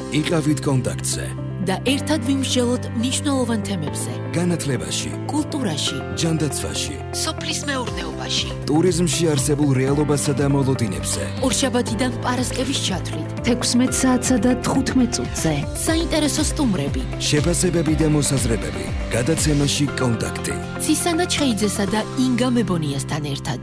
იყავით კონტაქტზე და ერთად ვიმსჯელოთ მნიშვნელოვან თემებზე. განათლებაში, კულტურაში, ჯანდაცვაში, სოფლის მეურნეობაში, ტურიზმში არსებულ რეალობასა და მოლოდინებზე. ორშაბათიდან პარასკევის ჩათვლით 16 საათსა და 15 წუთზე. საინტერესო სტუმრები, შეფასებები და მოსაზრებები. გადაცემაში კონტაქტი. ცისანა ჩხეიძესა და ინგა მებონიასთან ერთად.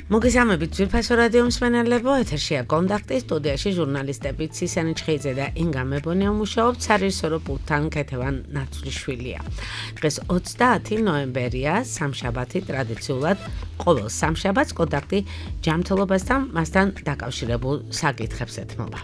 მოგესალმებით ძვირფასო რადიო მსმენელებო, ეთერშია კონტაქტი, სტუდიაში ჟურნალისტები ცისანა ჩხეიძე და ინგა მებონია მუშაობთ, სარეჟისორო პულტთან ქეთევან ნაცვლიშვილია. დღეს 30 ნოემბერია, სამშაბათი, ტრადიციულად ყოველ სამშაბათს კონტაქტი ჯანმრთელობასთან მასთან დაკავშირებულ საკითხებს ეთმობა.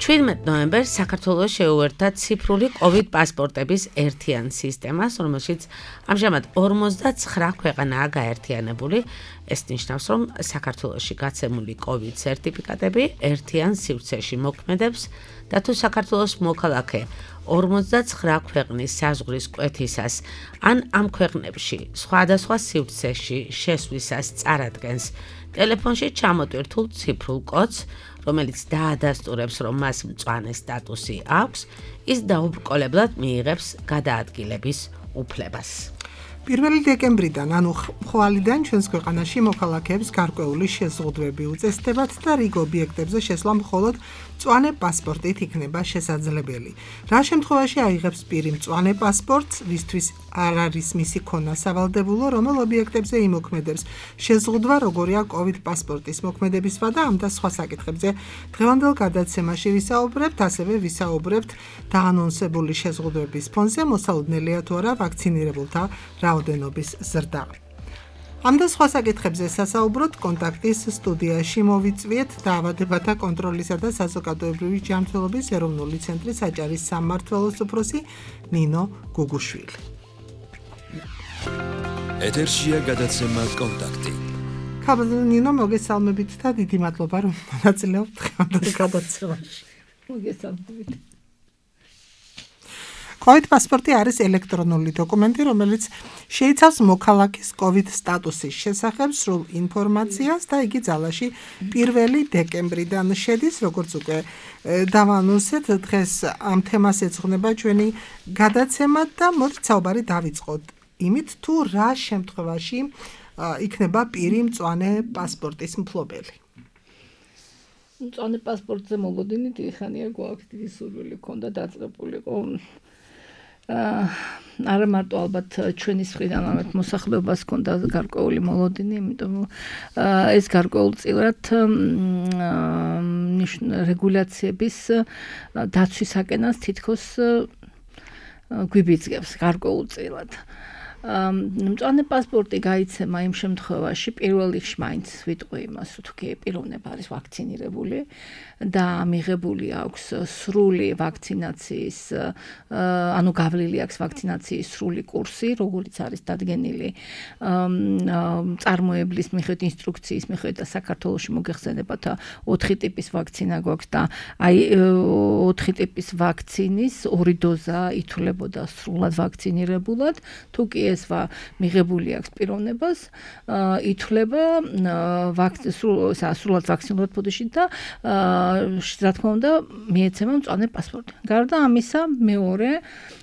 17 ნოემბერს საქართველოს შეუერთდა ციფრული COVID პასპორტების ერთიან სისტემას, რომელშიც ამჟამად 59 ქვეყანაა გაერთიანებული. ეს ნიშნავს, რომ საქართველოში გაცემული COVID სერტიფიკატები ერთიან სივრცეში მოქმედებს და თუ საქართველოს მოქალაქე 59 ქვეყნის საზღვრის კვეთისას ან ამ ქვეყნებში სხვადასხვა სივრცეში შესვლისას წარადგენს ტელეფონში ჩამოტვირთულ ციფრულ კოდს, რომელიც დაადასტურებს, რომ მას მწვანე სტატუსი აქვს, ის დაუბრკოლებლად მიიღებს გადაადგილების უფლებას. 1 დეკემბრიდან, ანუ ხვალიდან ჩვენს ქვეყანაში მოქალაქეებს გარკვეული შეზღუდვები უწესდებათ და რიგ ობიექტებზე შესვლა მხოლოდ მწვანე პასპორტით იქნება შესაძლებელი. რა შემთხვევაში აიღებს პირი მწვანე პასპორტს, ვისთვის არ არის მისი ქონა სავალდებულო, რომელ ობიექტებზე იმოქმედებს შეზღუდვა, როგორია COVID პასპორტის მოქმედებისვა და ამ და სხვა საკითხებზე დღევანდელ გადაცემაში ვისაუბრებთ, ასევე ვისაუბრებთ დაანონსებული შეზღუდვების ფონზე მოსალოდნელია თუ არა ვაქცინირებულთა რაოდენობის ზრდა. ამ და სხვა საკითხებზე სასაუბროთ კონტაქტის სტუდიაში მოვიწვიეთ დაავადებათა კონტროლისა და საზოგადოებრივი ჯანმრთელობის ეროვნული ცენტრის აჭარის სამმართველოს უფროსი ნინო გუგუშვილი. ეთერშია გადაცემა კონტაქტი. ნინო, მოგესალმებით და დიდი მადლობა, რომ მონაწილეობთ დღევანდელ გადაცემაში. მოგესალმებით. COVID პასპორტი არის ელექტრონული დოკუმენტი, რომელიც შეიცავს მოქალაქის COVID სტატუსის შესახებ სრულ ინფორმაციას და იგი ძალაში 1 დეკემბრიდან შედის, როგორც უკვე დავანონსეთ, დღეს ამ თემას ეძღვნება ჩვენი გადაცემა და მოდით საუბარი დავიწყოთ იმით, თუ რა შემთხვევაში იქნება პირი მწვანე პასპორტის მფლობელი. მწვანე პასპორტზე მოლოდინი დიდი ხანია გვაქვს, დიდი სურვილი ქონდა დაწყებულიყო. არა მარტო ალბათ ჩვენი მხრიდან ამათ მოსახლეობას ქონდა გარკვეული მოლოდინი, იმიტომ ეს გარკვეულწილად რეგულაციების დაცვისაკენას თითქოს გვიბიძგებს გარკვეულწილად. მწვანე პასპორტი გაიცემა იმ შემთხვევაში პირველ რიგში მაინც ვიტყვი იმას, თუ კი პიროვნება არის ვაქცინირებული და მიღებული აქვს სრული ვაქცინაციის, ანუ გავლილი აქვს ვაქცინაციის სრული კურსი, როგორც არის დადგენილი წარმოებლის მიხედვით, ინსტრუქციის მიხედვით და საქართველოში მოგეხსენებათ 4 ტიპის ვაქცინა გვაქვს და აი 4 ტიპის ვაქცინის 2 დოზა ითვლებოდა სრულად ვაქცინირებულად, თუ კი ეს მიღებული აქვს პიროვნებას, ითვლება სრულად ვაქცინირებულ ფოდში და რა თქმა უნდა მიეცემა მწვანე პასპორტი. გარდა ამისა, მეორე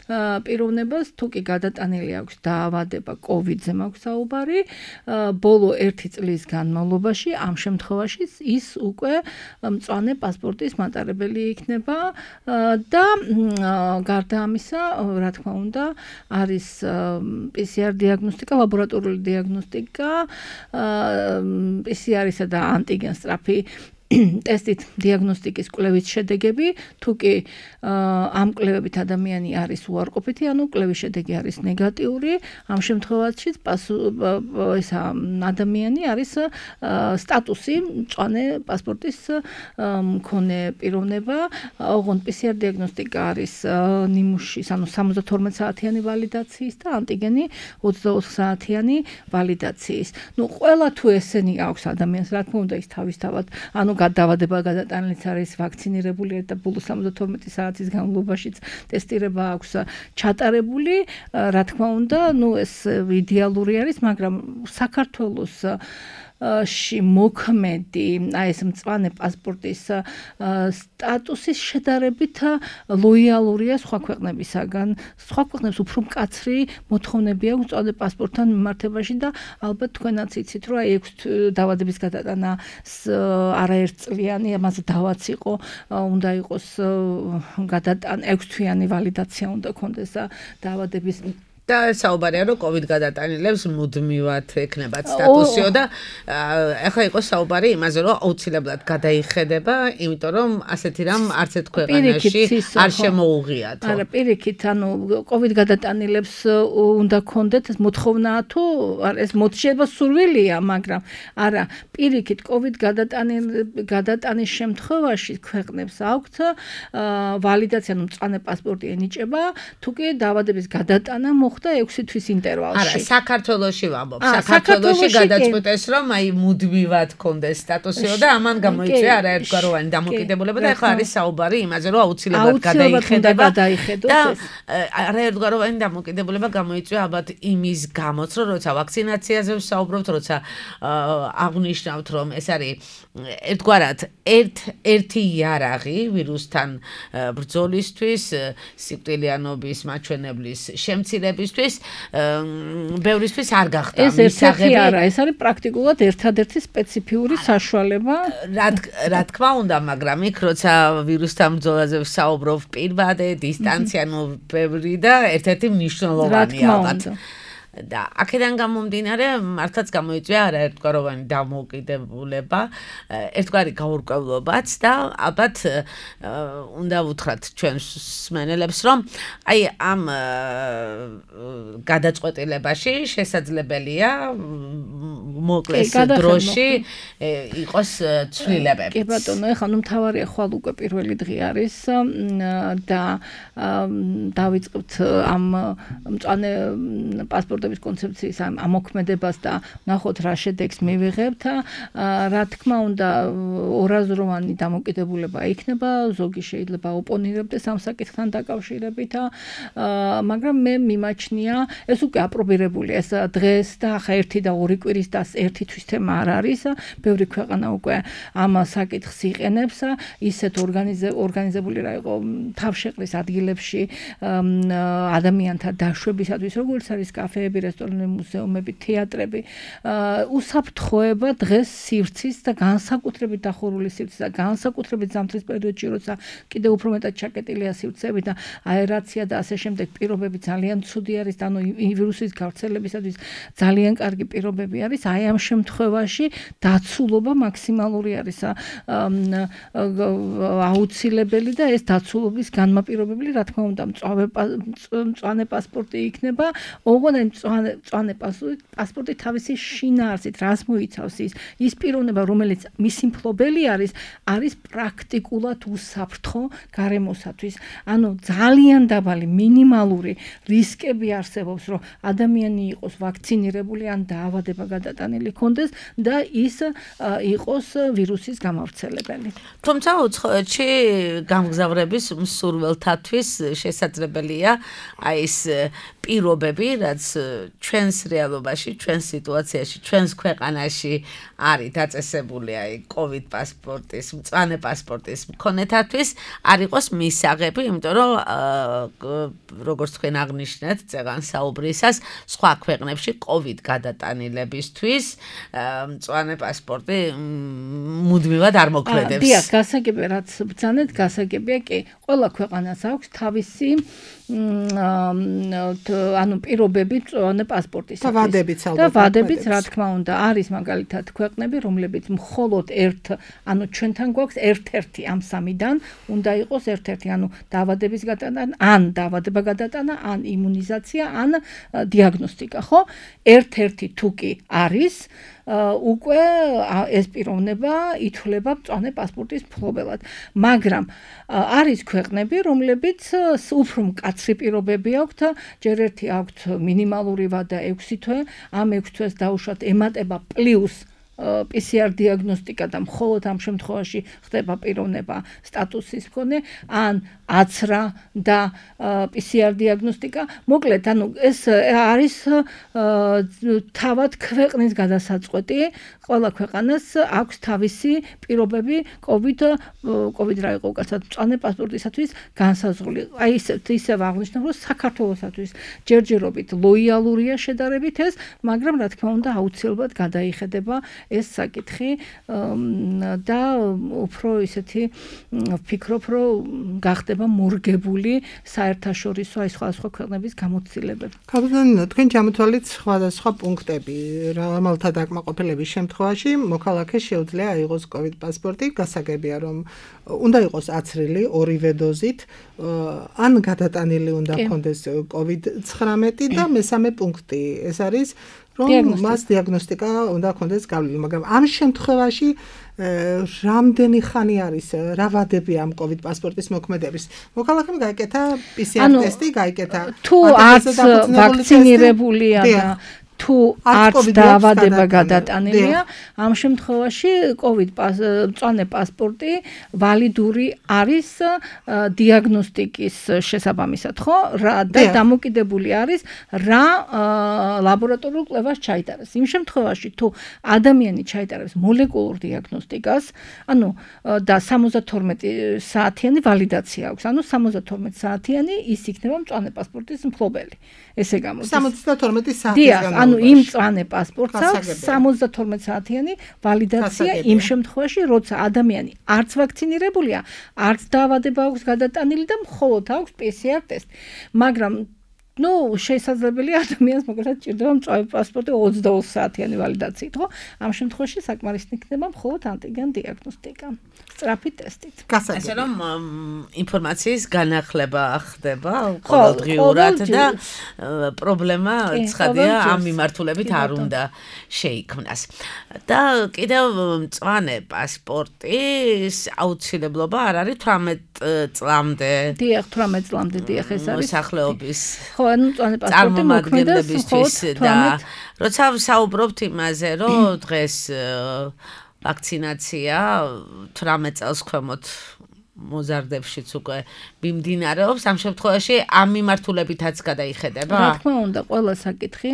პიროვნებას თუ კი გადატანილი აქვს დაავადება COVID-ზე მაქვს საუბარი, ბოლო 1 წლის განმავლობაში ამ შემთხვევაში ის უკვე მწვანე პასპორტის მატარებელი იქნება და გარდა ამისა, რა თქმა უნდა, არის PCR დიაგნოსტიკა, ლაბორატორიული დიაგნოსტიკა, PCR-ისა და ანტიგენ სწრაფი ტესტით დიაგნოსტიკის კვლევის შედეგები, თუ კი ამ კვლევებით ადამიანი არის უარყოფითი, ანუ კვლევის შედეგი არის ნეგატიური, ამ შემთხვევაში ადამიანი არის სტატუსი მწვანე პასპორტის მქონე პიროვნება, ოღონდ PCR დიაგნოსტიკა არის ნიმუშის, ანუ 72 საათიანი ვალიდაციის და ანტიგენი 24 საათიანი ვალიდაციის. ნუ ყველა თუ ესენი აქვს ადამიანს, რა თქმა უნდა ის თავისთავად, ანუ გადაავადება გადატანილიც არის ვაქცინირებული და ბოლო 72 საათის განმავლობაშიც ტესტირება აქვს ჩატარებული, რა თქმა უნდა, ნუ ეს იდეალური არის, მაგრამ საქართველოს ში მოქმედი აი ეს მწვანე პასპორტის სტატუსის შედარებით ლოიალურია სხვა ქვეყნებისაგან. სხვა ქვეყნებს უფრო მკაცრი მოთხოვნები აქვს მწვანე პასპორტთან მიმართებაში და ალბათ თქვენაც იცით, რომ აი 6 დაავადების გადატანა არაერთწლიანი, ამაზე დავაც იყო, უნდა იყოს გადატანა 6 თვიანი ვალიდაცია უნდა კონდეს დაავადების და საუბარია რომ COVID გადატანილებს მუდმივად ექნებათ სტატუსიო და ახლა იყო საუბარი იმაზე რომ აუცილებლად გადაიხედება, იმიტომ რომ ასეთი რამ არც ერთ ქვეყანაში არ შემოუღიათ. არა, პირიქით, ანუ COVID გადატანილებს უნდა კონდეთ მოთხოვნაა თუ ეს მოთხოვნა სურვილია, მაგრამ არა, პირიქით COVID გადატანის შემთხვევაში ქვეყნებს აქვთ ვალიდაცია, ანუ მწვანე პასპორტი ენიჭება, თუ კი დაავადების გადატანა და 6 თვის ინტერვალში. არა, საქართველოში ვამბობ. საქართველოში გადაწყვეტეს, რომ აი მუდმივად კონდეს სტატუსიო და ამან გამოიწვია არაერთგვაროვანი დამოკიდებულება და ახლა არის საუბარი იმაზე, რომ აუცილებლად გადაიხედება და არაერთგვაროვანი დამოკიდებულება გამოიწვია ალბათ იმის გამოც, რომ როცა ვაქცინაციაზე ვსაუბრობთ, როცა აღნიშნავთ, რომ ეს არის ერთგვარად ერთი იარაღი ვირუსთან ბრძოლისთვის, სიკვდილიანობის მაჩვენებლის შემცირებისთვის ბევრისთვის არ გახდა მისაღები. არა, ეს არის პრაქტიკულად ერთადერთი სპეციფიური საშუალება. რა თქმა უნდა, მაგრამ იქ როცა ვირუსთან ბრძოლაზე ვსაუბრობ, პირვადე, დისტანცია, ბევრი და ერთ-ერთი მნიშვნელოვანია ალბათ. და აქედან გამომდინარე მართლაც გამოიწვია არაერთგვაროვანი დამოუკიდებულება, ერთგვარი გაურკვევლობაც და ალბათ უნდა ვუთხრათ ჩვენს მსმენელებს, რომ აი ამ გადაწყვეტილებაში შესაძლებელია მოკლეს დროში იყოს ცვლილებები. კი ბატონო, ეხლა მთავარია ხვალ უკვე პირველი დღე არის და დავიწყებთ ამ მწვანე პასპორტ კონცეფციის ამოქმედებას და ნახოთ რა შედეგს მივიღებთ. რა თქმა უნდა, ორაზროვანი დამოკიდებულება იქნება, ზოგი შეიძლება ოპონირებდეს ამ საკითხთან დაკავშირებით, მაგრამ მე მიმაჩნია, ეს უკვე აპრობირებული ეს დღეს და ახლა 1 და 2 კვირის და 1 თვის თემა არ არის. ბევრი ქვეყანა უკვე ამ საკითხს იყენებს, ისეთ ორგანიზებული რა იყო თავშეყრის ადგილებში ადამიანთა დაშვებისათვის, როგორც არის კაფეები, რესტორნები, მუზეუმები, თეატრები, უსაფრთხოება დღეს სივრცის და განსაკუთრებით დახურული სივრცის და განსაკუთრებით ზამთრის პერიოდში, როცა კიდევ უფრო მეტად ჩაკეტილია სივრცეები და აერაცია და ასე შემდეგ პირობები ძალიან ცუდი არის, და ანუ ვირუსის გავრცელებისათვის ძალიან კარგი პირობები არის. აი ამ შემთხვევაში დაცულობა მაქსიმალური არის აუცილებელი და ეს დაცულობის განმაპირობებელი, რა თქმა უნდა, მწვანე პასპორტი იქნება. ოღონდ მწვანე პასპორტი თავისი შინაარსით რას მოიცავს ის პიროვნება, რომელიც მისი მფლობელი არის პრაქტიკულად უსაფრთხო გარემოსათვის. ანუ ძალიან დაბალი მინიმალური რისკები არსებობს, რომ ადამიანი იყოს ვაქცინირებული ან დაავადება გადატანილი კონდეს და ის იყოს ვირუსის გამავრცელებელი. თუმცა უცხოეთში გამგზავრების მსურველთათვის შესაძლებელია აი ეს პირობები, რაც ჩვენს რეალობაში, ჩვენს სიტუაციაში, ჩვენს ქვეყანაში არის დაწესებული აი COVID პასპორტის, მწვანე პასპორტის მქონეთათვის არ იყოს მისაღები, იმიტომ რომ როგორც თქვენ აღნიშნეთ, წეგან საუბრისას, სხვა ქვეყნებში COVID გადატანილებისთვის მწვანე პასპორტი მუდმივად არ მოქმედებს. დიახ, გასაგებია, რაც ბრძანეთ, გასაგებია კი, ყველა ქვეყანას აქვს თავისი ანუ პირობები მწვანე პასპორტის და ვადებიც ალბათ. და ვადებიც, რა თქმა უნდა, არის მაგალითად ქვეყნები, რომლებიც მხოლოდ ანუ ჩვენთან გვაქვს ერთ-ერთი ამ სამიდან უნდა იყოს ერთ-ერთი, ანუ დაავადების გადატანა, ან დაავადება გადატანა, ან იმუნიზაცია, ან დიაგნოსტიკა, ხო? ერთ-ერთი თუ კი არის უკვე ეს პიროვნება ითვლება მწვანე პასპორტის მფლობელად. მაგრამ არის ქვეყნები, რომლებიც უფრო მკაცრი პირობები აქვთ, ჯერ ერთი აქვთ მინიმალური ვადა 6 თვე, ამ 6 თვეს დაუშვათ ემატება პლუს PCR დიაგნოსტიკა და მხოლოდ ამ შემთხვევაში ხდება პიროვნება სტატუსის მქონე, ან აცრა და PCR დიაგნოსტიკა. მოკლედ, ანუ ეს არის თავად ქვეყნის გადასაწყვეტი, ყველა ქვეყანას აქვს თავისი პირობები COVID რა იყო უკაცრავად მწვანე პასპორტისათვის განსაზღვრული. აი ისევ აღნიშნავ, რომ საქართველოსათვის ჯერჯერობით ლოიალურია შედარებით ეს, მაგრამ რა თქმა უნდა აუცილებლად გადაიხედება ეს საკითხი და უფრო ისეთი ვფიქრობ, რომ გახდება მორგებული საერთაშორისო აი სხვადასხვა ქვეყნების გამოცდილებები. კაპიტანინო, თქვენ ჩამოთვალეთ სხვადასხვა პუნქტები, რომელთა დაკმაყოფილების შემთხვევაში მოქალაქეს შეუძლია აიღოს COVID პასპორტი, გასაგებია რომ უნდა იყოს აცრილი ორივე დოზით, ან გადატანილი უნდა ჰქონდეს COVID-19 და მესამე პუნქტი ეს არის რომ მას დიაგნოსტიკა უნდა ჰქონდეს გავლილი, მაგრამ ამ შემთხვევაში რამდენი ხანი არის, რა ვადები ამ COVID პასპორტის მოქმედების? მოქალაქემ გაიკეთა PCR ტესტი, გაიკეთა თუ არც ვაქცინირებულია და თუ არც დაავადება გადატანილია, ამ შემთხვევაში COVID მწვანე პასპორტი ვალიდური არის დიაგნოსტიკის შესაბამისად, ხო? და დამოკიდებული არის რა ლაბორატორიულ კვლევას ჩაიტარეს. იმ შემთხვევაში თუ ადამიანი ჩაიტარებს მოლეკულურ დიაგნოსტიკას, ანუ და 72 საათიანი ვალიდაცია აქვს, ანუ 72 საათიანი ის იქნება მწვანე პასპორტის მფლობელი. ესე გამოდის 72 საათის ანუ იმ მწვანე პასპორტს აქვს 72 საათიანი ვალიდაცია იმ შემთხვევაში, როცა ადამიანი არც ვაქცინირებულია, არც დაავადება აქვს გადატანილი და მხოლოდ აქვს PCR ტესტი. მაგრამ შესაძლებელია ადამიანს მოკლედ ჭირდება მწვანე პასპორტი 22 საათიანი ვალიდაციით, ხო? ამ შემთხვევაში საკმარისი იქნება მხოლოდ ანტიგენ დიაგნოსტიკა, სწრაფი ტესტით. ასე რომ ინფორმაციის განახლება ხდება ყოველდღიურად და პრობლემა ცხადია ამ მიმართულებით არ უნდა შეიქმნას. და კიდევ მწვანე პასპორტის აუცილებლობა არ არის 18 წლამდე. დიახ, 18 წლამდე დიახ ეს არის. მოსახლეობის ანუ მწვანე პასპორტი მოქმედებისთვის და როცა ვსაუბრობთ იმაზე, რომ დღეს ვაქცინაცია 18 წელს ქვემოთ მოზარდებშიც უკვე მიმდინარეობს, ამ შემთხვევაში ამ მიმართულებითაც გადაიხედება? რა თქმა უნდა, ყველა საკითხი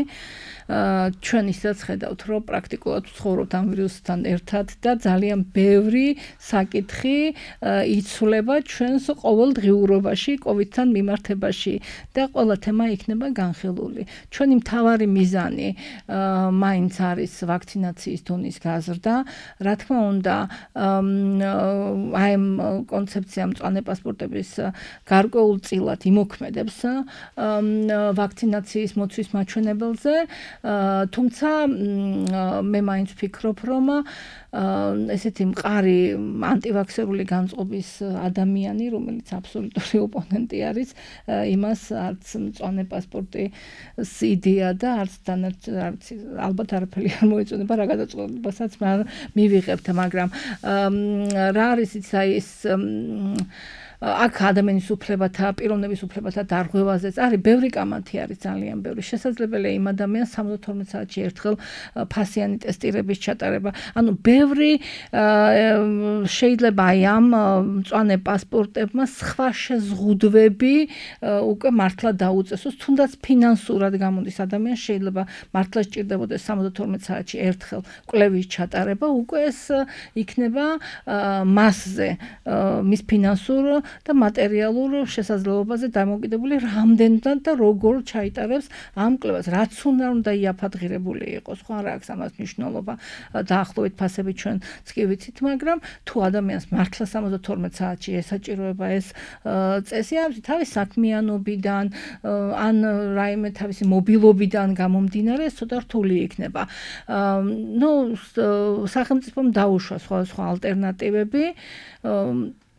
ჩვენ ისაც ხედავთ, რომ პრაქტიკულად ვცხოვრობთ ამ ვირუსთან ერთად და ძალიან ბევრი საკითხი იცვლება ჩვენს ყოველდღიურობაში COVID-თან მიმართებაში და ყველა თემა იქნება განხილული. ჩვენი მთავარი მიზანი მაინც არის ვაქცინაციის დონის გაზრდა. რა თქმა უნდა, აი ამ კონცეფცია მწვანე პასპორტების გარკვეულწილად იმოქმედებს ვაქცინაციის მოცვის მაჩვენებელზე. თუმცა მე მაინც ვფიქრობ, რომ ესეთი მყარი ანტივაქსერული განწყობის ადამიანი, რომელიც აბსოლუტური ოპონენტი არის, იმას არც მწვანე პასპორტის იდეა და არც ალბათ არაფერი არ მოეწონება რა გადაწყვეტილებასაც მივიღებთ, მაგრამ რა არის ის აქ ადამიანის უფლებათა, პიროვნების უფლებათა დარღვევაზეც არის ბევრი კამათი არის ძალიან ბევრი. შესაძლებელია იმ ადამიანს 72 საათში ერთხელ ფასიანი ტესტირების ჩატარება. ანუ ბევრი შეიძლება აი ამ მწვანე პასპორტებმა სხვა შეზღუდვები უკვე მართლა დაუწესოს, თუნდაც ფინანსურად გამოდის ადამიანს შეიძლება მართლა სჭირდებოდეს 72 საათში ერთხელ კვლევის ჩატარება, უკვე ეს იქნება მასზე მის ფინანსურ და მატერიალურ შესაძლებლობაზე დამოკიდებული რამდენად და როგორ ჩაიტარებს ამ კვლევას. რაც უნდა იაფადღირებული იყოს, ხო არა აქვს ამას მნიშვნელობა დაახლოებით ფასები ჩვენ კი ვიცით, მაგრამ თუ ადამიანს მართლა 72 საათში ესაჭიროება ეს წესი, თავის საქმიანობიდან ან რაიმე თავისი მობილობიდან გამომდინარე, ცოტა რთული იქნება. სახელმწიფომ დაუშვა სხვა ალტერნატივები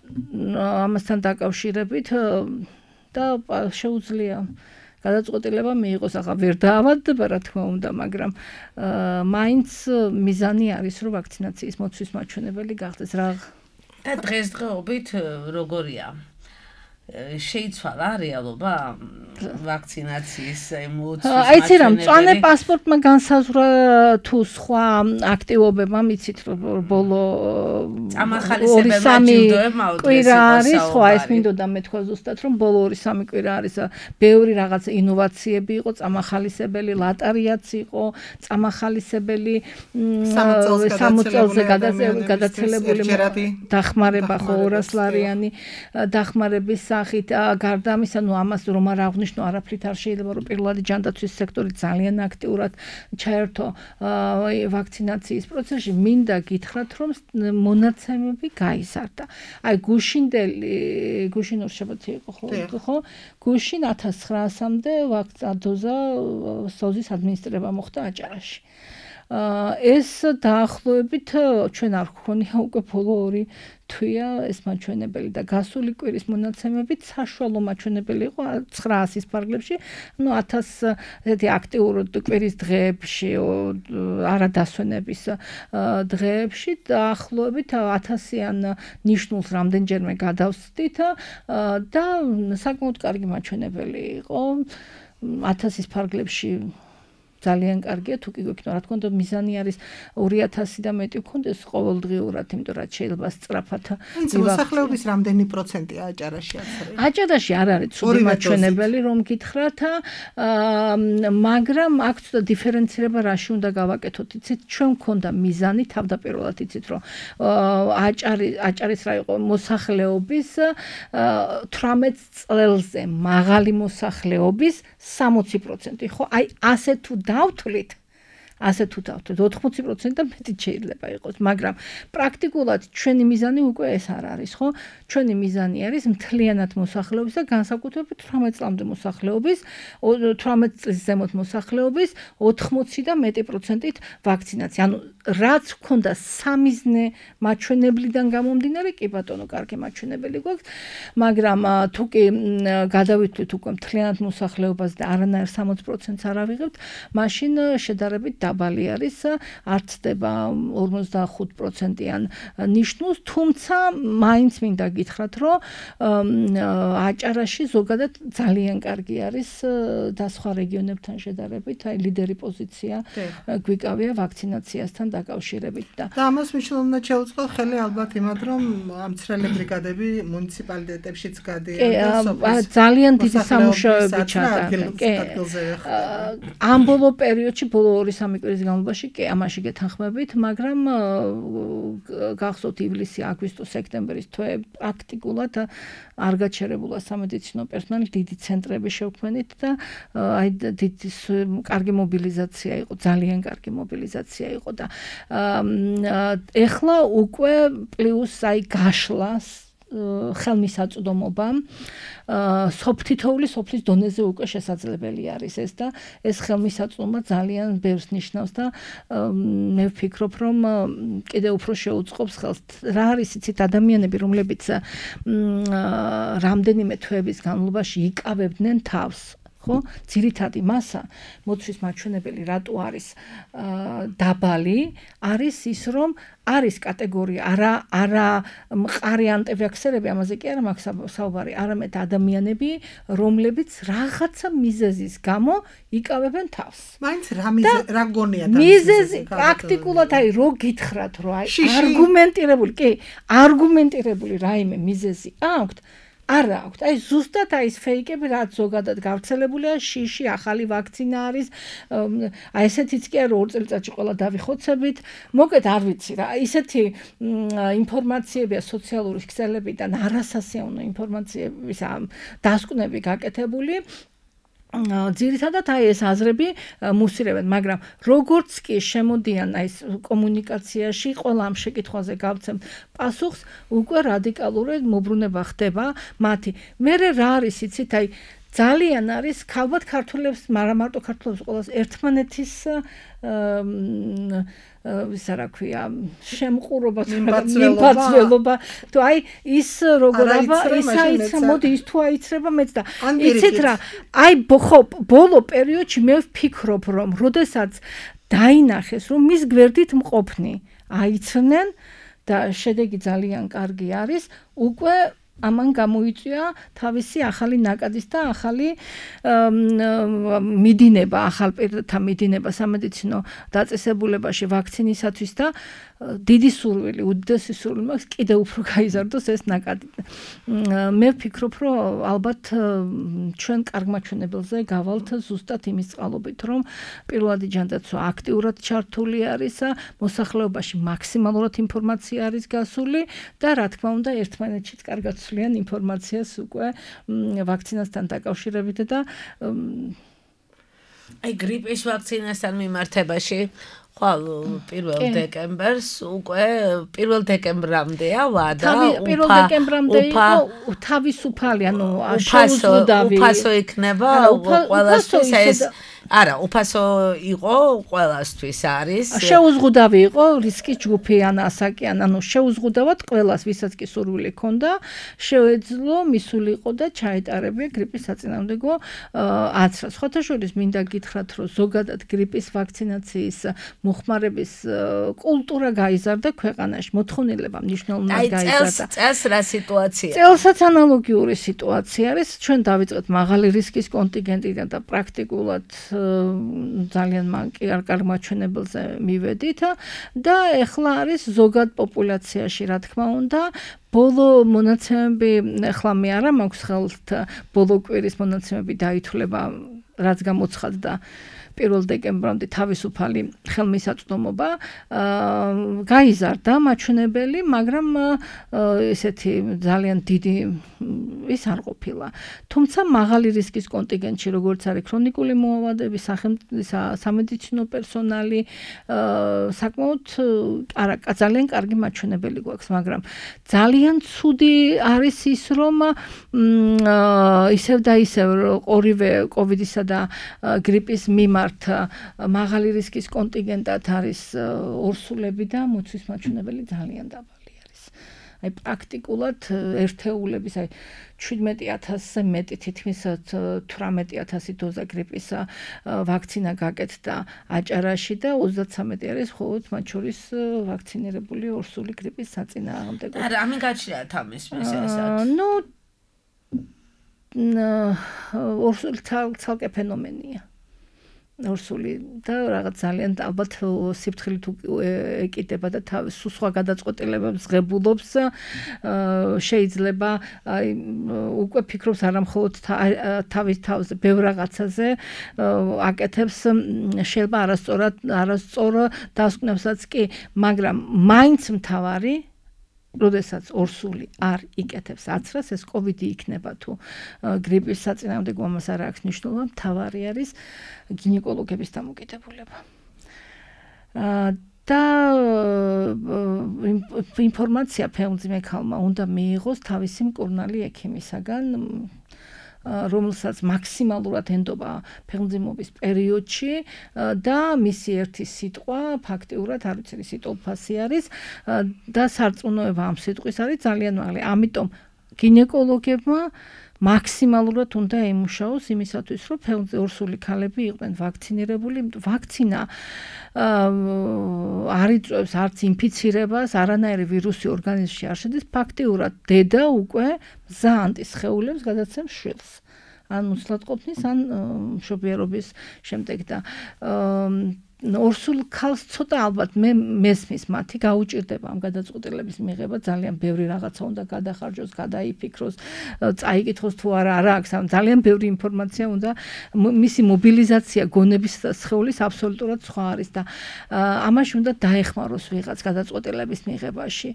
ამასთან დაკავშირებით და შეუძლია გადაწყვეტილება მიიღოს. ახლა ვერ დაავადდება, რა თქმა უნდა, მაგრამ მაინც მიზანი არის, რომ ვაქცინაციის მოცვის მაჩვენებელი გახდეს. და დღესდღეობით როგორია შეიცვალა რეალობა ვაქცინაციის მოწვის აიცი რა მწვანე პასპორტმა განსაზღვრა თუ სხვა აქტივობებმა მიცით ბოლო 2-3 კვირა არის ხო ეს მინდოდა მეთქვა ზუსტად რომ ბოლო 2-3 კვირა არის ბევრი რაღაც ინოვაციები იყო წამახალისებელი ლატარიაც იყო წამახალისებელი 60 წელზე გადაცილებული დახმარება ხო 200 ლარიანი დახმარების სახით გარდა ამისა ნუ ამას რომ არ აღნიშნო არაფრით არ შეიძლება რომ პირველადი ჯანდაცვის სექტორი ძალიან აქტიურად ჩაერთო ვაქცინაციის პროცესში მინდა გითხრათ რომ მონაცემები გაიზარდა აი გუშინ ორშაბათი იყო ხო გუშინ 1900-მდე დოზა სოზის ადმინისტრება მოხდა აჭარაში ეს დაახლოებით ჩვენ არ გქონია უკვე ბოლო 2 თვეა ეს მაჩვენებელი და გასული კვირის მონაცემებით საშუალო მაჩვენებელი იყო 900-ის ფარგლებში, ну 1000 ესეთი აქტიურად კვირის დღეებში, არადასვენების დღეებში დაახლოებით 1000-იან ნიშნულს რამდენჯერმე გადავსდით და საკმაოდ კარგი მაჩვენებელი იყო 1000-ის ფარგლებში ძალიან კარგია თუ კი გვექნა რა თქმა უნდა მიზანი არის 2000 და მეტი გქონდეს ყოველდღიურად იმიტომ რომ შეიძლება სწრაფად მოსახლეობის რამდენი პროცენტია აჭარაში აცრე აჭარაში არ არის ცუდი მაჩვენებელი რომ გითხრათ მაგრამ აქ ცოტა დიფერენცირება რაში უნდა გავაკეთოთ იცით ჩვენ გქონდა მიზანი თავდაპირველად იცით რომ აჭარის რა იყო მოსახლეობის 18 წელზე მაღალი მოსახლეობის 60% ხო აი ასე თუ დავთვლით 80% და მეტი შეიძლება იყოს, მაგრამ პრაქტიკულად ჩვენი მიზანი უკვე ეს არ არის, ხო? ჩვენი მიზანი არის მთლიანად მოსახლეობის და განსაკუთრებით 18 წლამდე მოსახლეობის, 18 წლის ზემოთ მოსახლეობის 80 და მეტი პროცენტით ვაქცინაცია. ანუ რაც ქონდა სამიზნე მაჩვენებლიდან გამომდინარე, კი ბატონო, კარგი მაჩვენებელი გვაქვს, მაგრამ თუ კი გადავითვლით უკვე მთლიანად მოსახლეობას და არანაირ 60%-ს არ ავიღებთ, მაშინ შედარებით დაბალი არის, არ ცდება 45%-იან ნიშნულს, თუმცა მაინც მინდა გითხრათ, რომ აჭარაში ზოგადად ძალიან კარგი არის და სხვა რეგიონებთან შედარებით, აი ლიდერი პოზიცია გვიკავია ვაქცინაციასთან დაკავშირებით და ამას მნიშვნელოვნად შეუწყო ხელი ალბათ იმად, რომ ამცრელი ბრიგადები მუნიციპალიტეტებშიც გადიან და ძალიან დიდი სამუშაოები ჩატარდა. ამ ბოლო პერიოდში, ბოლო 2-3 კვირის განმავლობაში კი ამაში გეთანხმებით, მაგრამ გახსოვთ ივლისი, აგვისტო, სექტემბრის თვე პრაქტიკულად არ გაჩერებულა სამედიცინო პერსონალი, დიდი ცენტრები შევქმნით და აი დიდი კარგი მობილიზაცია იყო, ძალიან კარგი მობილიზაცია იყო და ეხლა უკვე პლუს აი გაშლას ხელმისაწვდომობა სოფლის დონეზე უკვე შესაძლებელი არის ეს და ეს ხელმისაწვდომობა ძალიან ბევრს ნიშნავს და მე ვფიქრობ რომ კიდევ უფრო შეუწყობს ხელს რა არის იცით ადამიანები რომლებიც რამდენიმე თვეების განმავლობაში იკავებდნენ თავს ხო ძირითადი მასა მოცვის მაჩვენებელი რატო არის დაბალი არის ის რომ არის კატეგორია არა მყარი ანტივაქსერები ამაზე კი არა მაქვს საუბარი არამედ адамიანები რომლებიც რაღაცა მიზეზის გამო იკავებენ თავს მაინც რა გონია მიზეზი პრაქტიკულად აი რო გითხრათ რომ აი არგუმენტირებული რაიმე მიზეზი აქვთ არა აქვთ. აი ზუსტად აი ეს ფეიკები რაც ზოგადად გავრცელებულია, შიში, ახალი ვაქცინა არის. აი ესეთიც კი არა 2 წელიწადში ყველა დავიხოცებით. მოკეთ არ ვიცი რა. ისეთი ინფორმაციებია სოციალური ქსელებიდან არასასიამოვნო ინფორმაციების დასკვნები გაკეთებული. ძირითადად აი ეს აზრები მუსირებენ, მაგრამ როგორც კი შემოდიან აი ეს კომუნიკაციაში, ყველა ამ შეკითხვაზე გავცემთ პასუხს, უკვე რადიკალურად მოbrunება ხდება მათი. მე რა არის იცით, აი ძალიან არის ალბათ ქართველებს, მაგრამ მარტო ქართველებს ყველას ერთმანეთის ისა რა ქვია შემყურობა მიმბაცველობა თუ აი ის როგორ ისა მოდი ის თუ აიცრება მეც და იცით რა აი ხო ბოლო პერიოდში მე ვფიქრობ რომ როდესაც დაინახეს რომ მის გვერდით მყოფნი აიცრნენ და შედეგი ძალიან კარგი არის უკვე ამან გამოიწვია თავისი ახალი ნაკადის და ახალი მიდინება, ახალ პირთა მიდინება სამედიცინო დაწესებულებაში ვაქცინისათვის და დიდი სურვილი, უდიდესი სურვილი მაქვს კიდევ უფრო გაიზარდოს ეს ნაკადი. მე ვფიქრობ, რომ ალბათ ჩვენ კარგ მაჩვენებელზე გავალთ ზუსტად იმის წყალობით, რომ პირველადი ჯანდაცვა აქტიურად ჩართული არის, მოსახლეობაში მაქსიმალურად ინფორმაცია არის გასული და რა თქმა უნდა ერთმანეთშიც კარგად ცვლიან ინფორმაციას უკვე ვაქცინასთან დაკავშირებით და აი გრიპის ვაქცინასთან მიმართებაში ხვალ 1 დეკემბერს უკვე 1 დეკემბრამდეა ვადა 1 დეკემბრამდე იყო თავისუფალი, ანუ შეუძლებელი უფასო იქნება ყველასთვის ეს არა, უფასო იყო ყველასთვის არის. შეუზღუდავი იყო რისკის ჯგუფი ან ასაკიან, ანუ შეუზღუდავად ყველას, ვისაც კი სურვილი ჰქონდა, შეეძლო მისულიყო და ჩაეტარებია გრიპის საწინააღმდეგო აცრას. ხოთაშორის მინდა გითხრათ, რომ ზოგადად გრიპის ვაქცინაციის მოხმარების კულტურა გაიზარდა ქვეყანაში, მოთხოვნილება მნიშვნელოვნად გაიზარდა. წელს რა სიტუაცია? წელსაც ანალოგიური სიტუაცია არის. ჩვენ დავიწყეთ მაღალი რისკის კონტინგენტიდან და პრაქტიკულად ძალიან მანკი არ კარგ მაჩვენებელზე მივედით და ეხლა არის ზოგად პოპულაციაში, რა თქმა უნდა, ბოლო მონაცემები, ეხლა მე არა მაქვს ხელთ ბოლო კვირის მონაცემები დაითვლება, რაც გამოცხადდა 1 დეკემბრამდე თავისუფალი ხელმისაწვდომობა გაიზარდა მაჩვენებელი, მაგრამ ესეთი ძალიან დიდი ის არ ყოფილა. თუმცა მაღალი რისკის კონტინგენტში, როგორც არის ქრონიკული მოავადები, სამედიცინო პერსონალი, საკმაოდ ძალიან კარგი მაჩვენებელი გვაქვს, მაგრამ ძალიან ცუდი არის ის, რომ ისევ და ისევ ორივე კოვიდისა და გრიპის მიმართ მაღალი რისკის კონტინგენტად არის ორსულები და მოცვის მაჩვენებელი ძალიან დაბალი არის. აი პრაქტიკულად ერთეულების, აი 17,000-ზე მეტი, თითქმის 18,000 დოზა გრიპის ვაქცინა გაკეთდა აჭარაში და 33 არის მხოლოდ მათ შორის ვაქცინირებული ორსული გრიპის საწინააღმდეგო. არა, ამინ გაჩნია თამის მისესად. ორსული ცალკე ფენომენია. ორსული და რაღაც ძალიან ალბათ სიფრთხილით ეკიდება და სხვა გადაწყვეტილებებს ღებულობს, შეიძლება უკვე ფიქრობს არა მხოლოდ თავის თავზე, ბევრ რაღაცაზე აკეთებს, შეიძლება არასწორ დასკვნებსაც კი, მაგრამ მაინც მთავარი როდესაც ორსული არ იკეთებს აცრას, ეს კოვიდი იქნება თუ გრიპის საწინააღმდეგო, ამას არ აქვს მნიშვნელობა, მთავარი არის გინეკოლოგების დამოკიდებულება. და ინფორმაცია ფეხმძიმე ქალმა უნდა მიიღოს თავისი მკურნალი ექიმისაგან, რომელსაც მაქსიმალურად ენდობა ფეხმძიმობის პერიოდში და მისი ერთი სიტყვა ფაქტიურად არ ვიცი სიტოლფასი არის და სარწმუნოება ამ სიტყვის არის ძალიან მაღალი. ამიტომ გინეკოლოგებმა მაქსიმალურად უნდა ემუშაოს იმისათვის, რომ ორსული ქალები იყვნენ ვაქცინირებული. ვაქცინა არ იწვევს არც ინფიცირებას, არანაირი ვირუსი ორგანიზმში არ შედის, ფაქტიურად დედა უკვე მზაანტის სხეულებს გადაცემს შვილს. ან უცლადყოფნის, ან მშობიარობის შემდეგ და ორსულ ქალს ცოტა ალბათ მე მესმის მათი გაუჭირდება ამ გადაწყვეტილების მიღება, ძალიან ბევრი რაღაცა უნდა გადახარჯოს, გადაიფიქროს, წაიკითხოს თუ არა აქვს, ძალიან ბევრი ინფორმაცია უნდა, მისი მობილიზაცია გონების სხეულის აბსოლუტურად სხვა არის და ამაში უნდა დაეხმაროს ვიღაც გადაწყვეტილების მიღებაში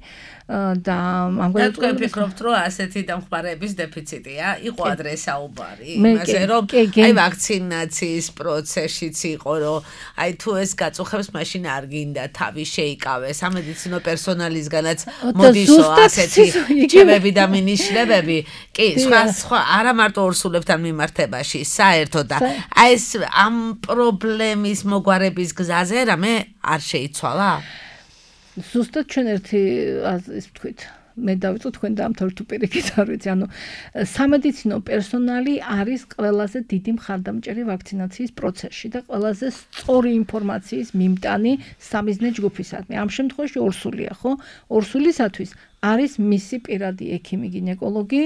და ამ გადაწყვეტილებას ვფიქრობთ, რომ ასეთი დამხმარეების დეფიციტია, იყო ადრე საუბარი, იმაზე რომ აი ვაქცინაციის პროცესშიც იყო, რომ აი თუ ეს გაწუხებს, მაშინ არ გინდა თავი შეიკავეს სამედიცინო პერსონალისგანაც მოდისო ასეთი რჩევები და მინიშნებები. კი, სხვა არა მარტო ორსულებთან მიმართებაში, საერთოდ და აი ეს ამ პრობლემის მოგვარების გზაზე რამე არ შეიცვალა? ზუსტად ჩვენ ერთი ის ვთქვით, მე დავიწყო თქვენ დაამთავრეთ თუ პირიქით არ ვიცი, ანუ სამედიცინო პერსონალი არის ყველაზე დიდი მხარდამჭერი ვაქცინაციის პროცესში და ყველაზე სწორი ინფორმაციის მიმტანი სამიზნე ჯგუფისადმი. ამ შემთხვევაში ორსულია, ხო? ორსულისათვის არის მისი პირადი ექიმი, გინეკოლოგი.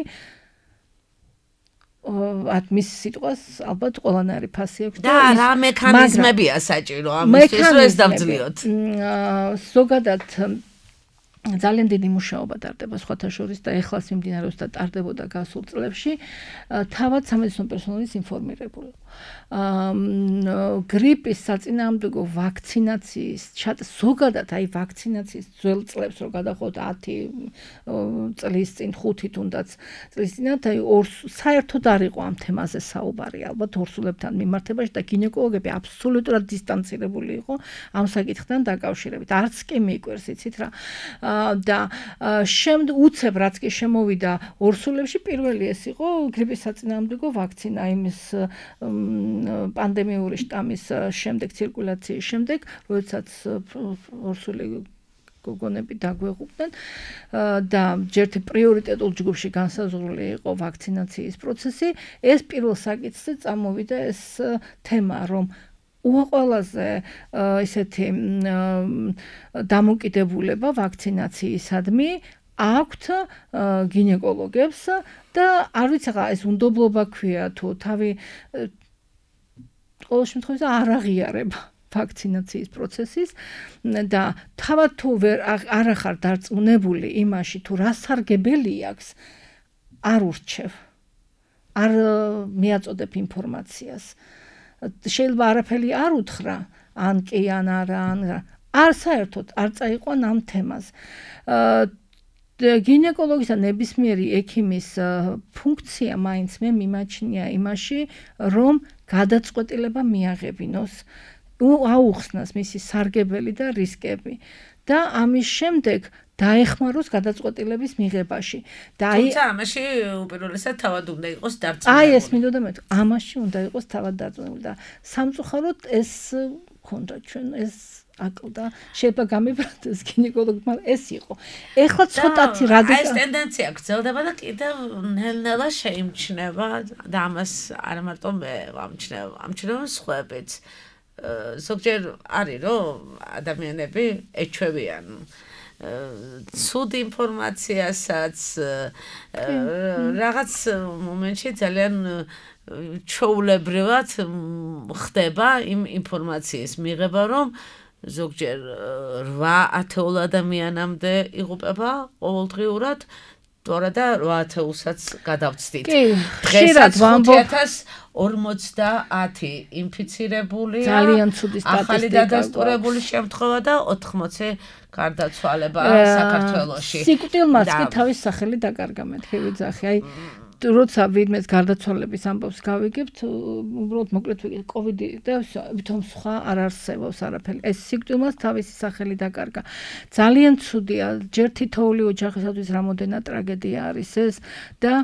მის სიტყვას ალბათ ყველანაირი ფასი აქვს და რა მექანიზმებია საჭირო ამისთვის რომ ეს დავძლიოთ. ზოგადად ძალიან დიდი მუშაობა ტარდება სხვათა შორის და ეხლაც მიმდინარეობს და ტარდებოდა გასულ წლებში თავად სამედიცინო პერსონალის ინფორმირებულება. გრიპის საწინააღმდეგო ვაქცინაციის ზოგადად აი ვაქცინაციის ძველ წლებს რო გადახოთ 10 წლის წინ 5 თუნდაც წლის წინათ აი საერთოდ არ იყო ამ თემაზე საუბარი ალბათ ორსულებთან მიმართებაში და გინეკოლოგები აბსოლუტურად დისტანცირებული იყო ამ საკითხთან დაკავშირებით. არც კი მიკვირს იცით რა და უცებ რაც კი შემოვიდა ორსულებში პირველი ეს იყო გრიპის საწინააღმდეგო ვაქცინა იმის პანდემიური შტამის შემდეგ ცირკულაციის შემდეგ, როდესაც ორსული გოგონები დაგვეღუპნენ და ჯერთი პრიორიტეტულ ჯგუფში განსაზღვრული იყო ვაქცინაციის პროცესი, ეს პირველ საკითხზე წამოვიდა ეს თემა, რომ უაყოლაზე ისეთი დამოკიდებულება ვაქცინაციისადმი აქვთ გინეკოლოგებს და არ ვიცი რა ეს უნდობლობა ქვია თუ თავი ყოველ შემთხვევაში არ აღიარება ვაქცინაციის პროცესის და თავად თუ არ ახარ დარწმუნებული იმაში თუ რა სარგებელი აქვს არ ურჩევ არ მიაწოდებ ინფორმაციას შეიძლება არაფერი არ უთხრა ან კი ან არა არ საერთოდ არ წაიყვან ამ თემას გინეკოლოგისა ნებისმიერი ექიმის ფუნქცია მაინც მე მიმაჩნია იმაში რომ გადაწყვეტილება მიაღებინოს აუხსნას მისი სარგებელი და რისკები და ამის შემდეგ დაეხმაროს გადაწყვეტილების მიღებაში და აი თუმცა ამაში უპირველესად თავად უნდა იყოს დარწმუნებული. აი ეს მინდოდა მე ამაში უნდა იყოს თავად დარწმუნებული და სამწუხაროდ ეს ქონდა ჩვენ ეს აკლდა შეიძლება გამიბრალდეს გინეკოლოგმა ეს იყო. ეხლა ცოტათი რადიკალი ეს ტენდენცია გრძელდება და კიდევ ნელ-ნელა შეიმჩნევა და ამას არა მარტო მე ამჩნევა სხვაებიც. ზოგჯერ არის რომ ადამიანები ეჩვევიან ცუდ ინფორმაციასაც რაღაც მომენტში ძალიან ჩაულებრივად ხდება იმ ინფორმაციის მიღება რომ ზოგჯერ 8-10 ადამიანამდე იღუპება ყოველდღიურად თორე და 8-10-საც გადავწდით. ხშირად ვამბობ 50 ინფიცირებული ძალიან ცუდი სტატისტიკა. ახალი დადასტურებული შემთხვევა და 80 გარდაცვალება საქართველოში. სიკვდილმაც კი თავის სახელი დაკარგა მეთქი ვიძახი. აი როცა ვინმეს გარდაცვალების ამბავს გავიგებთ, უბრალოდ მოკლედ ვიგეთ კოვიდი და ვითომ სხვა არ არსებობს არაფერი. ეს სიკვდილმაც თავისი სახელი დაკარგა. ძალიან ცუდია, ჯერ თითოეული ოჯახისათვის რამოდენა ტრაგედია არის ეს და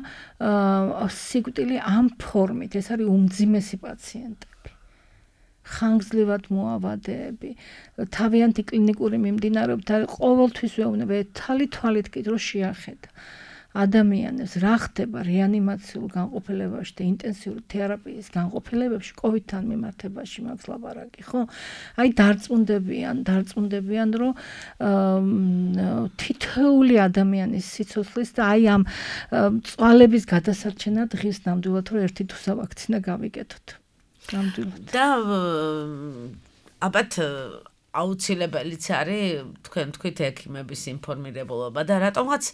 სიკვდილი ამ ფორმით, ეს არის უმძიმესი პაციენტები. ხანგრძლივად მოავადეები, თავიანთი კლინიკური მიმდინარეობებით არის ყოველთვის ვეუბნება, თვალით კი დრო შეახედა. ადამიანებს რა ხდება რეანიმაციულ განყოფილებაში და ინტენსიური თერაპიის განყოფილებებში კოვიდთან მიმართებაში მაქვს ლაბარაკი, ხო? აი დარწმუნდებიან, რომ თითოეული ადამიანის სიცოცხლის და აი ამ წვალების გადასარჩენა დღის ნამდვილად რომ ერთი თუ სავაქცინა გავიკეთოთ. ნამდვილად. და ალბათ აუცილებელიც არის თქვენ თქვით ექიმების ინფორმირებულობა და რატომღაც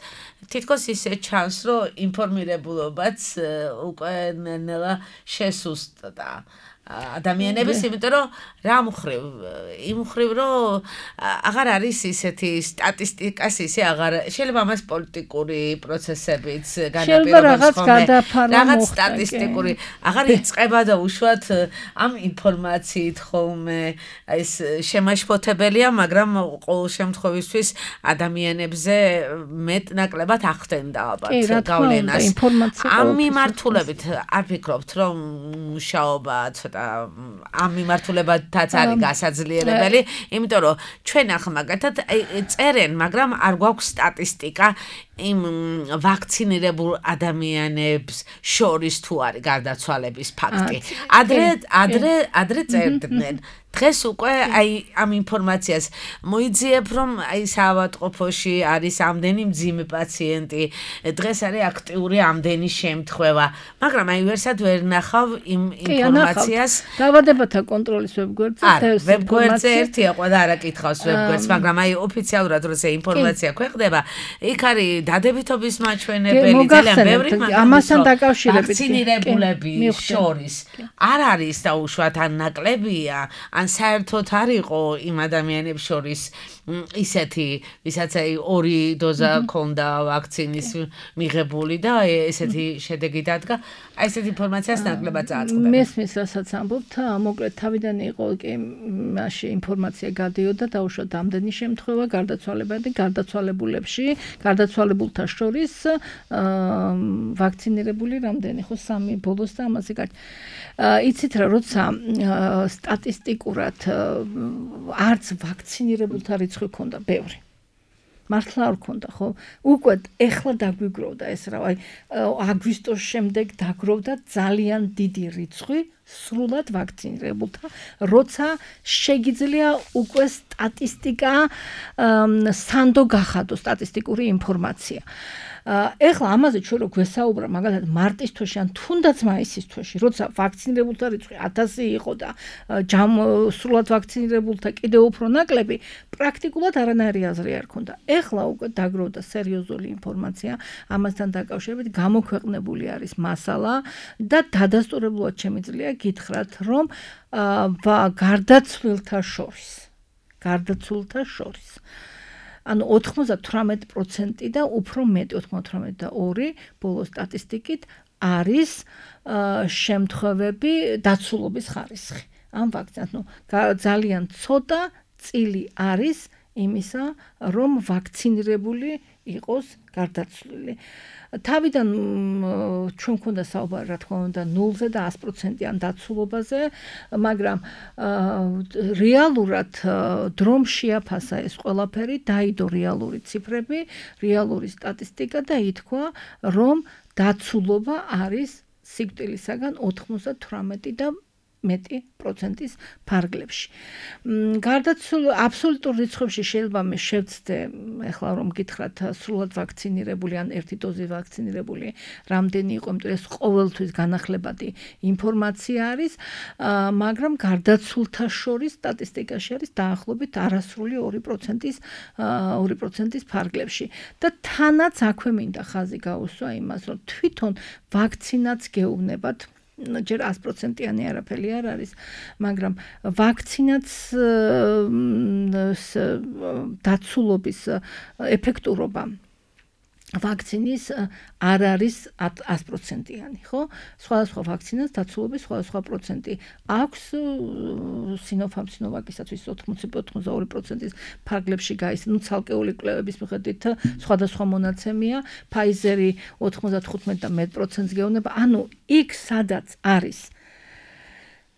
თითქოს ისე ჩანს რომ ინფორმირებულობაც უკვე ნელა შესუსტდა ადამიანების იმიტომ რომ რა მხრივ იმ მხრივ რომ აღარ არის ისეთი სტატისტიკას ისე აღარ შეიძლება მას პოლიტიკური პროცესებიც განაპირობებს ხოლმე რაღაც სტატისტიკური აღარ იწყება და უშუალოდ ამ ინფორმაციით ხოლმე ეს შემაშფოთებელია მაგრამ ყოველ შემთხვევისთვის ადამიანებზე მეტნაკლებად ახდენდა ალბათ გავლენას ამ მიმართულებით არ ფიქრობთ რომ მუშაობა ცოტა ცოტა ამ მიმართულებათაც არის გასაძლიერებელი, იმიტომ რომ ჩვენ ახლა მაგათად წერენ, მაგრამ არ გვაქვს სტატისტიკა იმ ვაქცინირებულ ადამიანებს შორის თუ არის გარდაცვალების ფაქტი. ადრე წერდნენ. დღეს უკვე აი ამ ინფორმაციას მოიძიებ, რომ აი საავადმყოფოში არის ამდენი მძიმე პაციენტი, დღეს არის აქტიური ამდენი შემთხვევა, მაგრამ აი ვერსად ვერ ნახავ იმ ინფორმაციას. დაავადებათა კონტროლის ვებგვერდზე ვებგვერდზე ერთია, ყველა არა კითხავს ვებგვერდს, მაგრამ აი ოფიციალურად როცა ინფორმაცია ქვეყნდება, იქ არის დადებითობის მაჩვენებელი, ძალიან ბევრი, ამასთან დაკავშირებით ვაქცინირებულების შორის არ არის დაუშვათ ან ნაკლებია, ან საერთოდ არ იყო იმ ადამიანებს შორის ისეთი, ვისაც აი 2 დოზა ქონდა ვაქცინის მიღებული და ესეთი შედეგი დადგა, აი ესეთი ინფორმაციას ნაკლებად წააწყდება. მესმის, რასაც ამბობთ, მოკლედ თავიდან იყო კი მაშინ ინფორმაცია გადიოდა დაუშვათ ამდენი შემთხვევა გარდაცვალებულებში, გარდაცვალებულთა შორის ვაქცინირებული რამდენი, ხო 3 ბოლოს და ამაზე გაჩ. იცით რა, როცა სტატისტიკურად არც ვაქცინირებულთა რიცხვი ქონდა ბევრი. მართლა არ ქონდა, ხო? უკვე ეხლა დაგვიგროვდა ეს რა, აი აგვისტოს შემდეგ დაგროვდა ძალიან დიდი რიცხვი სრულად ვაქცინირებულთა, როცა შეგიძლია უკვე სტატისტიკა სანდო გახადო სტატისტიკური ინფორმაცია. ეხლა ამაზე ჩვენ რო გვესაუბრა მაგალითად მარტის თვეში ან თუნდაც მაისის თვეში, როცა ვაქცინირებულთა რიცხვი 1000 იყო და სრულად ვაქცინირებულთა კიდევ უფრო ნაკლები, პრაქტიკულად არანაირი აზრი არ ქონდა. ეხლა უკვე დაგროვდა სერიოზული ინფორმაცია ამასთან დაკავშირებით, გამოქვეყნებული არის მასალა და დადასტურებლად შემიძლია გითხრათ, რომ გარდაცვლილთა შორის ანუ 98% და უფრო მეტი 98.2 ბოლო სტატისტიკით არის შემთხვევები დაცულობის ხარისხი. ამ ვაქცინას, ძალიან ცოტა წილი არის იმისა, რომ ვაქცინირებული იყოს გარდაცვლილი. თავიდან ჩვენ გვქონდა საუბარი, რა თქმა უნდა, 0-ზე და 100%-იან დაცულობაზე, მაგრამ რეალურად დრომ შეაფასა ეს ყველაფერი, დაიდო რეალური ციფრები, რეალური სტატისტიკა და ითქვა, რომ დაცულობა არის სიკვდილისაგან 98 და მეტი პროცენტის ფარგლებში. აბსოლუტურ რიცხვებში შეიძლება მე შევცდე, ეხლა რომ გითხრათ, სრულად ვაქცინირებული ან 1 დოზი ვაქცინირებული რამდენი იყო, იმიტომ ეს ყოველთვის განახლებადი ინფორმაცია არის, მაგრამ გარდაცულთა შორის სტატისტიკაში არის დაახლოებით არასრული 2%-ის ფარგლებში. და თანაც აქვე მინდა ხაზი გაუსვა იმას, რომ თვითონ ვაქცინაც გეუბნებათ, ჯერ 100%-იანი არაფერი არ არის, მაგრამ ვაქცინაც დაცულობის ეფექტურობა ვაქცინის არ არის 100%-იანი, ხო? სხვადასხვა ვაქცინას დაცულობის სხვადასხვა პროცენტი აქვს, Sinopharm Sinovac's-ისთვის 80-82%-ის ფარგლებში გაის, ცალკეული კვლევების მიხედვით სხვადასხვა მონაცემია, Pfizer-ი 95% და მეტ%-ს გეუბნება, ანუ იქ სადაც არის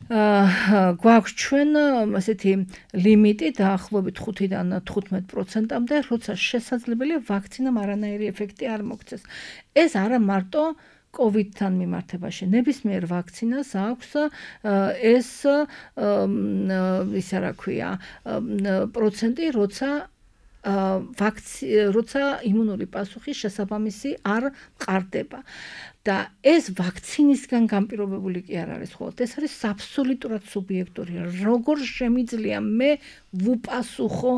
გვაქვს ჩვენ ასეთი ლიმიტი დაახლოებით 5-დან 15%-მდე, როცა შესაძლებელია ვაქცინამ არანაირი ეფექტი არ მოგცეს. ეს არა მარტო COVID-თან მიმართებაში, ნებისმიერ ვაქცინას აქვს ეს ისა რა ქვია პროცენტი, როცა იმუნური პასუხი შესაბამისი არ მყარდება. და ეს ვაქცინისგან განპირობებული კი არ არის ხოლმე. ეს არის აბსოლუტურად სუბიექტური. როგორ შემიძლია მე ვუპასუხო,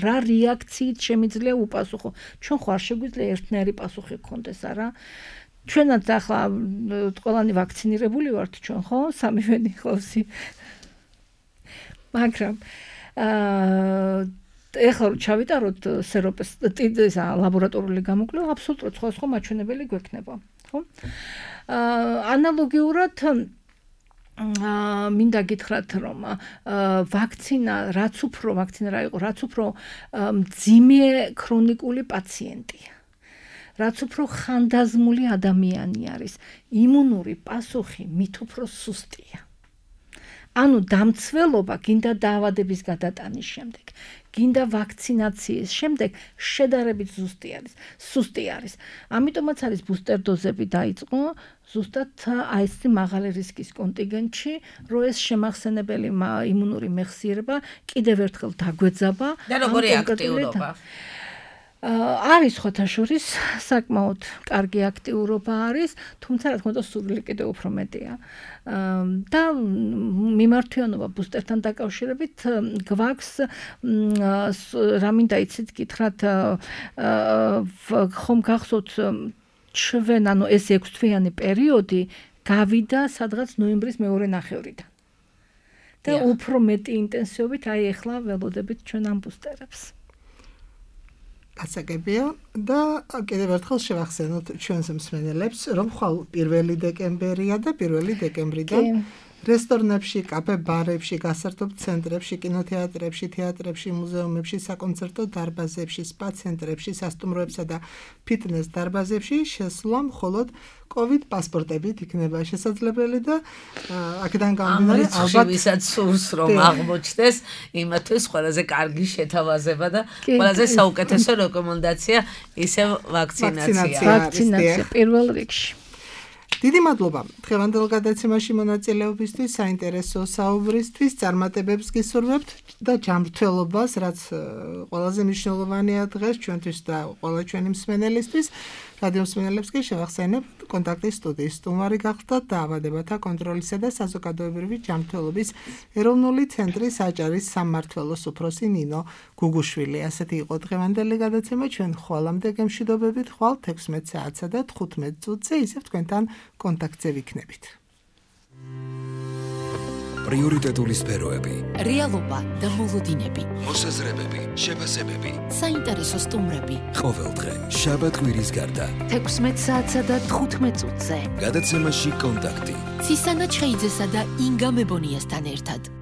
რა რეაქციით შემიძლია ვუპასუხო? ჩვენ ხო არ შეგვიძლია ერთნაირი პასუხი გქონდეს, არა? ჩვენაც ახლა ყველანი ვაქცინირებული ვართ ჩვენ, ხო? სამივენი ხლოსი. მაგრამ ეხლა რომ ჩავიტაროთ სეროპეს ლაბორატორიული გამოკვლევა, აბსოლუტურად სხვა მაჩვენებელი გვექნება, ხო? ანალოგიურად მინდა გითხრათ, რომ ვაქცინა რაც უფრო მძიმე ქრონიკული პაციენტია, რაც უფრო ხანდაზმული ადამიანი არის, იმუნური პასუხი მით უფრო სუსტია. ანუ დამცველობა გინდა დაავადების გადატანის შემდეგ, გინდა ვაქცინაციის შემდეგ შედარებით სუსტი არის. ამიტომაც არის ბუსტერ დოზები დაიწყო ზუსტად აი ეს მაღალი რისკის კონტინგენტში, რომ ეს შემახსენებელი იმუნური მეხსიერება კიდევ ერთხელ დაგვეძაბა. და როგორი აქტიურობა? არის ხოთაშორის საკმაოდ კარგი აქტიურობა არის, თუმცა რა თქმა უნდა სურვილი კიდევ უფრო მეტია. და მიმართვიანობა ბუსტერთან დაკავშირებით გვაქვს რამინდა იცით გითხრათ ხომ გახსოვთ ჩვენ ანუ ეს 6 თვიანი პერიოდი გავიდა სადღაც ნოემბრის მეორე ნახევრიდან. და უფრო მეტი ინტენსივობით აი ახლა ველოდებით ჩვენ ამ ბუსტერებს. გასაგებია და კიდევ ერთხელ შევახსენოთ ჩვენს მსმენელებს, რომ ხვალ 1 დეკემბერია და 1 დეკემბრიდან რესტორნებში, კაფე-ბარებში, გასართობ ცენტრებში, კინოთეატრებში, თეატრებში, მუზეუმებში, საკონცერტო დარბაზებში, სპა ცენტრებში, სასტუმროებსა და ფიტნეს დარბაზებში შესვლა მხოლოდ COVID პასპორტებით იქნება შესაძლებელი და აქედან გამომდინარე ალბათ ვისაც სურს რომ აღმოჩნდეს, იმათთვის ყველაზე კარგი შეთავაზება და ყველაზე საუკეთესო რეკომენდაცია ისევ ვაქცინაცია პირველ რიგში. დიდი მადლობა დღევანდელ გადაცემაში მონაწილეობისთვის, საინტერესო საუბრისთვის, წარმატებებს გისურვებთ და ჯანმრთელობას, რაც ყველაზე მნიშვნელოვანია დღეს ჩვენთვის და ყველა ჩვენი მსმენელისთვის. რადიო მსმენელებს კი შევახსენებ კონტაქტის სტუდიის სტუმარი გახდათ დაავადებათა კონტროლისა და საზოგადოებრივი ჯანმრთელობის ეროვნული ცენტრის აჭარის სამმართველოს უფროსი ნინო გუგუშვილი. ასეთი იყო დღევანდელი გადაცემა. ჩვენ ხვალამდე გემშვიდობებით, ხვალ 16 საათსა და 15 წუთზე ისევ თქვენთან კონტაქტზე ვიქნებით. პრიორიტეტული სფეროები, რეალობა და მოლოდინები, მოსაზრებები, შეფასებები, საინტერესო სტუმრები. ყოველდღე შაბათ-კვირის გარდა 16 საათსა და 15 წუთზე. გადაცემაში კონტაქტი. ცისანა ჩხეიძესა და ინგა მებონიასთან ერთად.